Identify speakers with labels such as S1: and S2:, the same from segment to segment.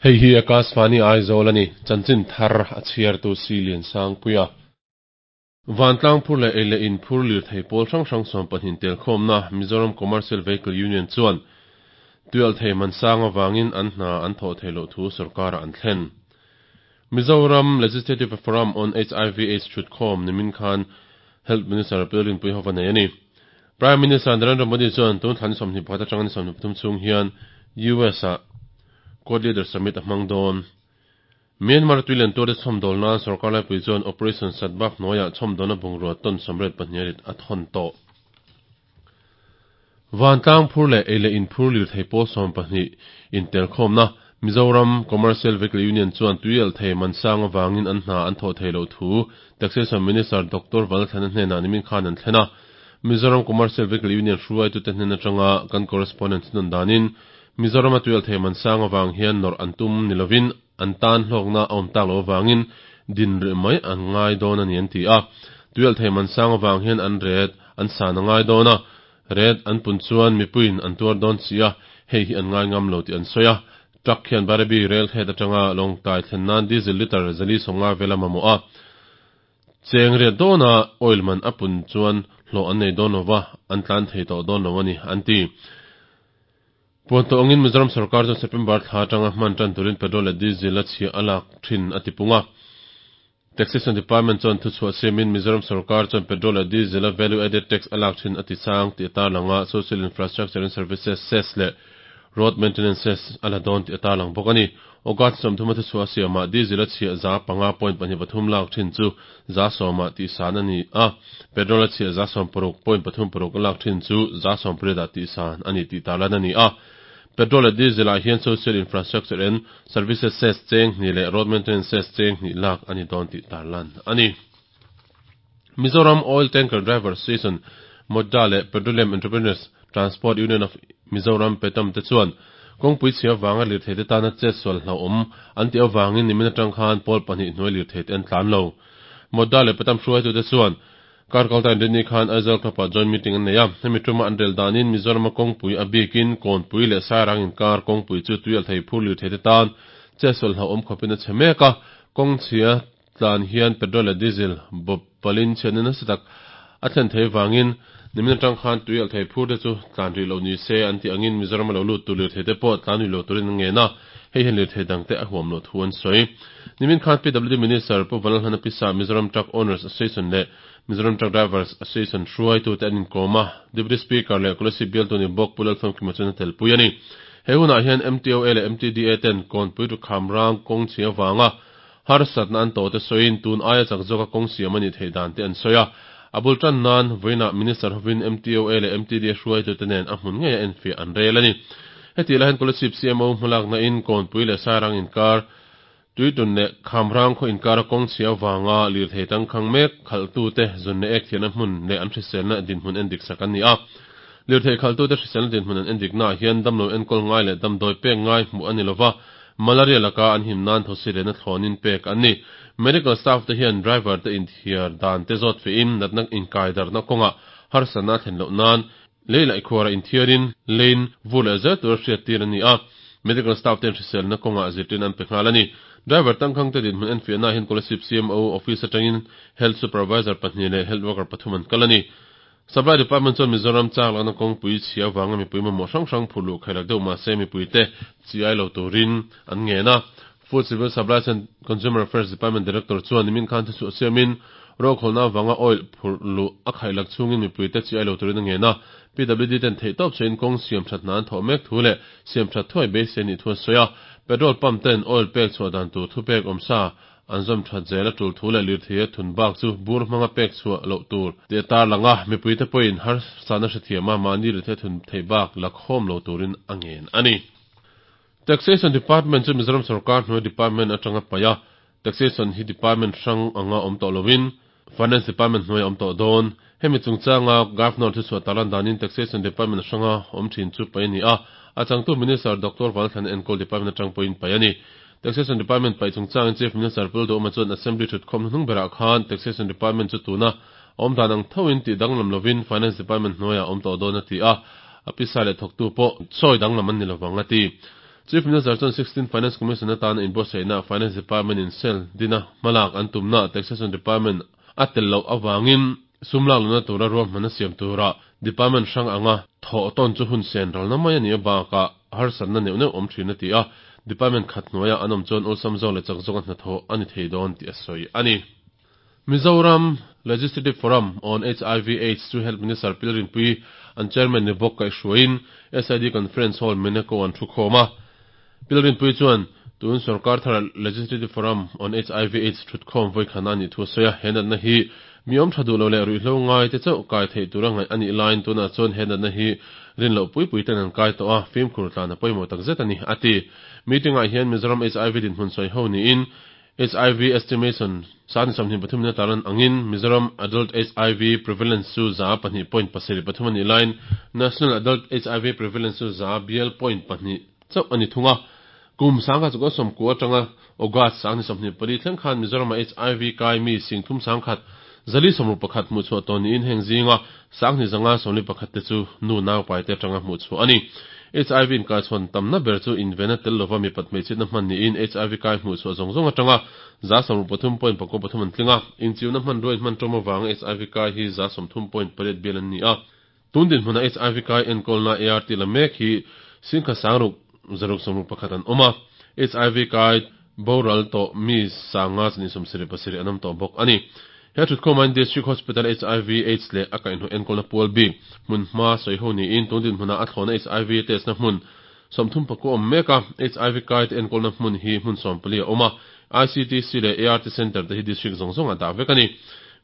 S1: Hei hi Akashvani Aizawl a ni, chanchin thar a chhiartu Si Liansangpuia. Vantlang phur leh ei leh in phur lirthei pawl hrang hrang 20 telkhawmna Mizoram Commercial Vehicle Union chuan tuialhthei man sang avangin an hna an thawh theih loh thu sorkarah an thlen. Mizoram Legislative Forum on HIV Aids thutkhawm nimin khan Health Minister Lalrinpuii hova nei a ni. Prime Minister Narendra Modi chuan tun thla ni 21 atanga ni 23 chhung hian US-ah Quad Leaders Summit a hmang dawn. Myanmar tuilian tuarte chhawmdawl nan sorkar laipui chuan Operation Sadbhav hnuaiah chhawmdawlna bungrua ton 82 rit a thawn tawh. Vantlang phur leh ei leh in phur lirthei pawl 20 intelkhawmna Mizoram Commercial Vehicle Union chuan tuialhthei man sang avangin an hna an thawh theih loh thu Taxation Minister Doctor Valthlana hnenah nimin khan an thlen a. Mizoram Commercial Vehicle Union hruaitute hnen atanga kan correspondent chuan danin Mizorama tuialhthei man sang avang hian nawrh an tum ni lovin an tan hlawkna a awm tak loh avangin din rih mai an ngai dawn a ni an ti a. Tuialhthei man sang avang hian an ret an san a ngai dawn a, ret an pun chuan mipuiin an tuar dawn si a, hei hi an ngai ngam lo tih an sawi a. Truck hian Bairabi rail head atanga Lawngtlai thlen nan diesel litre 450 vel a mamawh a. Cheng riat dawna oil man a pun chuan hlawh an nei dawn lova, an tlan thei tawh dawn lo a ni, an ti. Puan tawh angin Mizoram sorkar chuan September thla atanga hman tan turin petrol leh diesel a chhiah a lak thin a ti pung a. Taxation Department chuan thuchhuah siamin Mizoram sorkar chuan petrol leh diesel a value added tax a lak thin a ti sang tih a tarlang a, Social Infrastructure and Services cess leh Road Maintenance cess a la dawn tih a tarlang bawk a ni. August 30 a thuchhuah siamah diesel a chhiah 5.23 lak thin chu 10% ah tihsan a ni a, petrol a chhiah 16.36 a lak thin chu 18% ah tihsan a ni tih tarlan a ni a. Petrol leh diesel ah hian Social Infrastructure and Services cess cheng hnih leh Road Maintenance cess cheng hnih lak a ni dawn tih tarlan a ni. Mizoram Oil Tanker Driver Association, MOTDA, leh Petroleum Entrepreneurs Transport Union of Mizoram, PETAM, te chuan kawngpui chhia avanga lirtheite tana chetsual hlauhawm an tih avangin nimin atang khan pawl pahnih hnuai lirtheite an tlan lo. MOTDA leh PETAM hruaitute chuan kar kalta inrinni khan Aizawl Club-ah joint meeting an nei a, hemi tuma an rel danin Mizorama kawngpui a bikin Kawnpui leh Sairang inkar kawngpui chu tuialthei phur lirtheite tan chetsual hlauhawm khawpin a chhe mek a, kawng chhia tlan hian petrol leh diesel bawp palin chhiatna nasa tak a thlen thei vangin nimin atang khan tui alh thei phur te chu tlan rih loh ni se an tih angin Mizoram a lo lut tur lirthei te pawh tlan rih lo turin an ngen a, hei hian lirthei dang te a huam loh thu an sawi. Nimin khan PWD Minister Pu Vanlalhlana Pisa, Mizoram Truck Owners Association leh Mizoram Truck Drivers Association hruaitute an inkawm a, Deputy Speaker leh Kolasib bialtu ni bawk Pu Lalfamkima chuan a telpui a ni. He hunah hian MTOA leh MTDA ten Kawnpui Rukham rang kawng chhia vanga Harsatna an tawhte sawiin tun aia chak zawka kawng siam a nih theih dan te an sawi a. A bul tan nan vawiinah Minister hovin MTOA leh MTDA hruaitute nen a hmun ngeia enfiah an rel a ni. Hetih lai hian Kolasib CMO hmalakna in Kawnpui leh Sairang inkar, Tuitun leh Khamrang khaw inkara kawng chhia avanga lirthei tangkhang mek khalhtute zun leh ek thiahna hmun leh an hriselna dinhmun endik sak an ni a. Lirthei khalhtute hriselna dinhmun an endiknaah hian damlo enkawl ngai leh damdawi pek ngai hmuh a ni lova, Malaria laka an him nan thosi lehna thlawnin pek an ni. Medical staff te hian driver te inthiar dan te zawt fehin natna inkai darhna kawngah harsatna a thlen loh nan lei laih khuara inthiarin lane vur leh zel tura hriattir an ni a. Medical staff ten hriselna kawngah zirtirna an pe nghal a ni. Driver tangkhang te dinhmun enfiahna ah hian Kolasib CMO office atangin Health Supervisor pahnih leh Health Worker pathum an kal a ni. Supply Department chuan Mizoram chak lakna kawngpui chhia avanga mipui mamawh hrang hrang phur luh khailak deuh mahse mipuite chi ai lo turin an ngen a. Food Civil Supplies and Consumer Affairs Department Director chuan nimin khan thuchhuah siamin rokhawlna avanga oil phurh luh a khailak chhungin mipuite chi ai lo turin a ngen a. PWD ten theihtawp chhuahin kawng siam that hna an thawh mek thu leh siam that thuai beisei nih thu a sawi a. Petrol pump ten oil pek chhuah dan tur thupek awmsa An zawm that zel a tul thu leh lirtheia thun bak chu bur hmanga pek chhuah loh tur tih a tarlang a, mipuite pawhin harsatna hrethiam a, mahni lirtheia thun theih bak la khawm lo turin a ngen a ni. Taxation Department chu Mizoram sorkar hnuai department atanga paih a, Taxation hi department hrang anga awm tawh loin Finance Department hnuai a awm tawh dawn. Hemi chungchanga Governor thuchhuah tarlan danin Taxation Department hranga awm thin chu paih a ni a, a changtu Minister Doctor Vanlalthlana enkawl department atang pawhin paih a ni. Taxation Department paih chungchangin Chief Minister Pu Duhawma chuan Assembly thutkhawm hnuhnung berah khan Taxation Department chu tuna awm dan ang thoin tih danglam lovin Finance Department hnuaiah awm tawh dawn a ti a, a pisa leh thawktu pawh sawi danglam an ni lovang a ti. Chief Minister chuan Sixteenth Finance Commission atana inbuatsaihna Finance Department in cell dina hmalak an tumna Taxation Department a tel loh avangin sum lak lohna tura ruahmanna siam tura Department hrang anga thawh tawn chu hun sen ralna mai a nih bakah harsatna neuh neuh awm thin a ti a, Department khat hnuaiah an awm chuan awlsam zawk leh chak zawka hnathawh a ni thei dawn tih a sawi a ni. Mizoram Legislative Forum on hiv aids chu Health Minister Pilrinpui an Chairman ni bawk kaihhruaiin SID Conference Hall Meneko an thukhawm a. Pilrinpui chuan tun sorkar thara Legislative Forum on hiv aids thutkhawm vawikhana a nih thu a sawi a, he natna hi mi awm tha duh lo leh ruihhlo ngai te chauh kai theih tura ngaih a nih laiin tunah chuan he natna hi rin loh pui pui ten an kai tawh a, fimkhur tlan a pawimawh takzet a ni, a ti. Meeting-ah hian Mizoram hiv dinhmun sawi ho niin Hiv estimation 23 in a tarlan angin Mizoram Adult hiv Prevalence chu 2.73 a nih laiin National Adult hiv Prevalence chu za bial point pahnih chauh a ni thung a. Kum 1990 atanga August 24 thleng khan Mizoram-ah hiv kai mi 31,461 hmuhchhuah tawh niin heng zinga 2541 te chu nu naupaite atanga hmuhchhuah a ni. Hiv inkaichhawn tamna ber chu invena tel lova mipat hmeichhiatna hman niin hiv kai hmuhchhuah zawng zawng atanga 63.43 an tling a, inchiuna hmanrua inhman tawm avanga hiv kai hi 30.8 bial an ni a. Tun dinhmuna hiv kai enkawlna ART la mek hi 1661 an awm a, hiv kai boral tawh mi 527 an awm tawh bawk a ni. He thutkhawmain District Hospital hiv aids leh a kaihhnawh enkawlna pual bik hmun hma sawi ho niin tun dinhmunah a thlawhna hiv test na hmun 30 awm mek a, hiv kai te enkawlna hmun hi hmun 14 a awm a, ICTC leh ART Centre te hi District zawng zawngah dah vek a ni.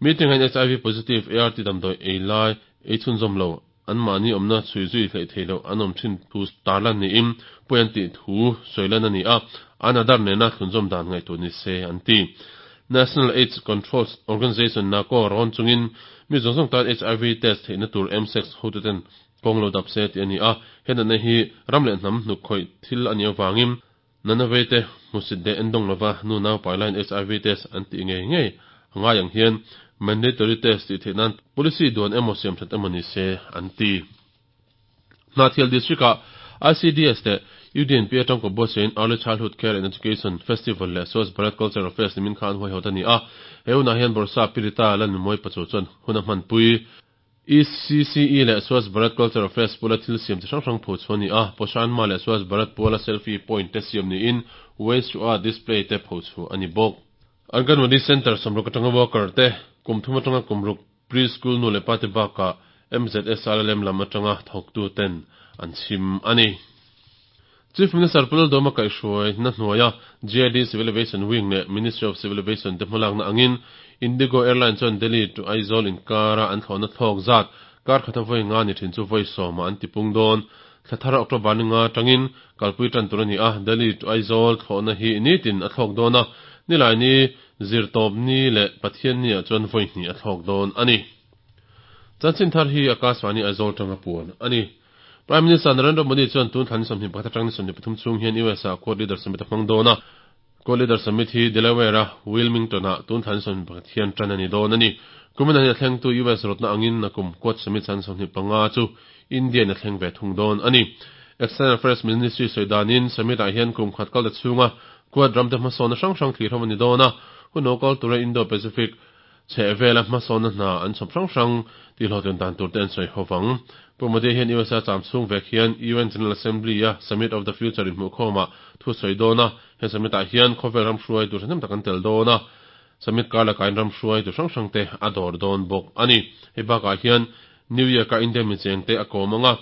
S1: Meeting-ah hian hiv positive ART damdawi ei lai ei chhunzawm lo anmahni awmna chhui zui hleih theih loh an awm thin thu tarlan niin pawi an tih thu sawi lan a ni a, an adar nena thlunzawm dan ngaihtuah ni se an ti. National AIDS Control Organisation, NACO, rawn chungin mi zawng zawng tan hiv test theihna tur msex hotuten kawng lo dap se tih a ni a, he natna hi ram leh hnam hnuk khawih thil a nih avangin Nanawei te hmusit leh endawng lova nu naupai laiin hiv test an tih ngei ngei a ngai ang hian mandatory test tih theih nan policy duan emaw siam that emaw ni se an ti. Hnahthial District ah ICDS leh UDNP atang kawp buatsaiin Early Childhood Care and Education Festival leh Swachh Bharat Cultural Fest nimin kha an huaihawt a ni a, he hunah hian Bawrhsap Pirita Lalnumawi Pachu chuan hun a hmanpui. ECCE leh Swachh Bharat Cultural Fest pula thil siam chi hrang hrang pho chhuah a ni a, Poshan Ma leh Swachh Bharat puala selfie point te siam niin Waste to Art display te pho chhuah a ni bawk. Anganwadi Centre 60 atanga worker te, kum thum atanga kum ruk pre-school nu leh pa te bakah MZSRLM lam atanga thawktu ten an chhim a ni. Chief Minister Pu Lalduama kaihhruaina hnuaia GID Civil Aviation Wing leh Ministry of Civil Aviation te hmalakna angin Indigo Airline chuan Delhi to Aizawl inkara an thlawhna thlawk zat kar khata vawi nga ni thin chu vawi sawmah an tipung dawn. Thla thar October ni nga atangin kalpui tan tur a ni a, Delhi to Aizawl thlawhna hi nitin a thlawk dawn a, Nilaini Zirtawp ni leh Pathianni ah chuan vawi hnih a thlawk dawn a ni. Chanchin thar hi Akashvani Aizawl tanga puan a ni. Prime Minister Narendra Modi chuan tun thla ni 21 atang ni 23 chhung hian US ah Quad Leader Summit a hmang dawn a. Quad Leader Summit hi Delaware a Wilmington ah tun thla ni 21 hian tan a ni dawn a ni. Kumin ah hian a thlengtu US rawtna angin nakum Quad Summit chan 25 chu India in a thleng ve thung dawn a ni. External Affairs Ministry sawi danin Summit ah hian kum khat kal ta chhunga Quad ramte hmasawnna hrang hrang thlir ho a ni dawn a. Hun lo kal tura Indo-Pacific Chheh vela hmasawnna hna an chhawp hrang hrang tih hlawhtlin dan tur te an sawi ho vang. Pu Modi hian USA cham chhung vek hian UN General Assembly a Summit of the Future inhmuhkhawmah thu sawi dawn a, he summit ah hian khawvel ram hruai tur thahnem tak an tel dawn a, summit kar lakah in ram hruai tur hrang hrang te a dawr dawn bawk a ni. Hei bakah hian New York a India micheng te a kawm ang a,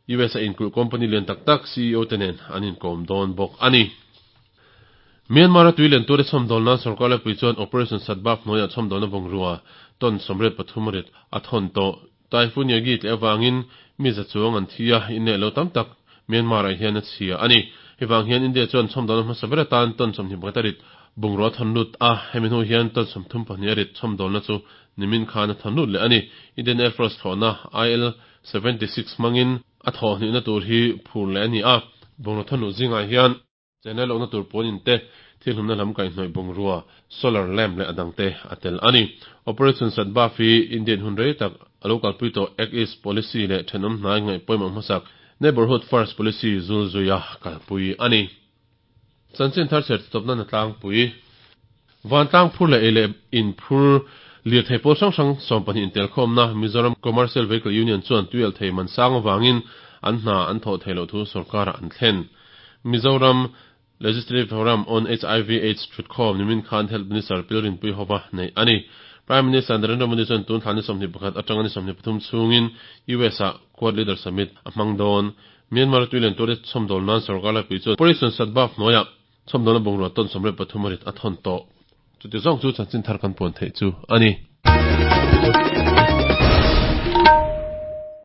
S1: US a inkulh company lian tak tak ceo te nen an inkawm dawn bawk a ni. Myanmar a tui len tura chhawmdawl nan sorkar laipui chuan Operation Satbap hnuaiah chhawmdawlna bungrua ton 83 rit a thawn tawh. Typhoon Yagi tleh avangin mi za chuang an thi a, inleh lo tam tak Myanmar ah hian a chhia a ni. Hei vang hian India chuan chhawmdawlna hmasa ber atan ton 21 a rit bungrua a thawn lut a, hemi hnu hian ton 32 a rit chhawmdawlna chu nimin khan a thawn lut leh a ni. Indian Air Force thlawhna IL 76 hmangin a thawhhnihna tur hi phur leh a ni a, bungraw thawnluh zingah hian channel awkna tur pawn in te, thil hlumna lam kaihhnawih bungrua, solar lamp leh a dang te a tel a ni. Operation Sadbhav hi Indian hun rei tak a lo kalpui tawh Act East Policy leh thenawm hnai ngaih pawimawh hmasak. Neighbourhood First Policy zulzuia kalpui a ni. Chanchin thar chhiar tawpna na tlangpui. Vantlang phur leh ei leh in phur lirthei pawl hrang hrang 12 intelkhawmna Mizoram Commercial Vehicle Union chuan tuialhthei man sang avangin an hna an thawh theih loh thu sorkarah an thlen. Mizoram Legislative Forum on HIV Aids thutkhawm nimin khan Health Minister Pilrinpui hova neih a ni. Prime Minister Narendra Modi chuan tun thla ni 21 atanga ni 23 chhungin US ah Quad Leader Summit a hmang dawn. Myanmar tuilen tur te chhawmdawl nan sorkar laipui chuan Operation Sadbhav hnuaiah chhawmdawlna bungrua tawn 13 a rit a thawn tawh. Chuti zawng chu chanchin thar kan puan theih chu a ni.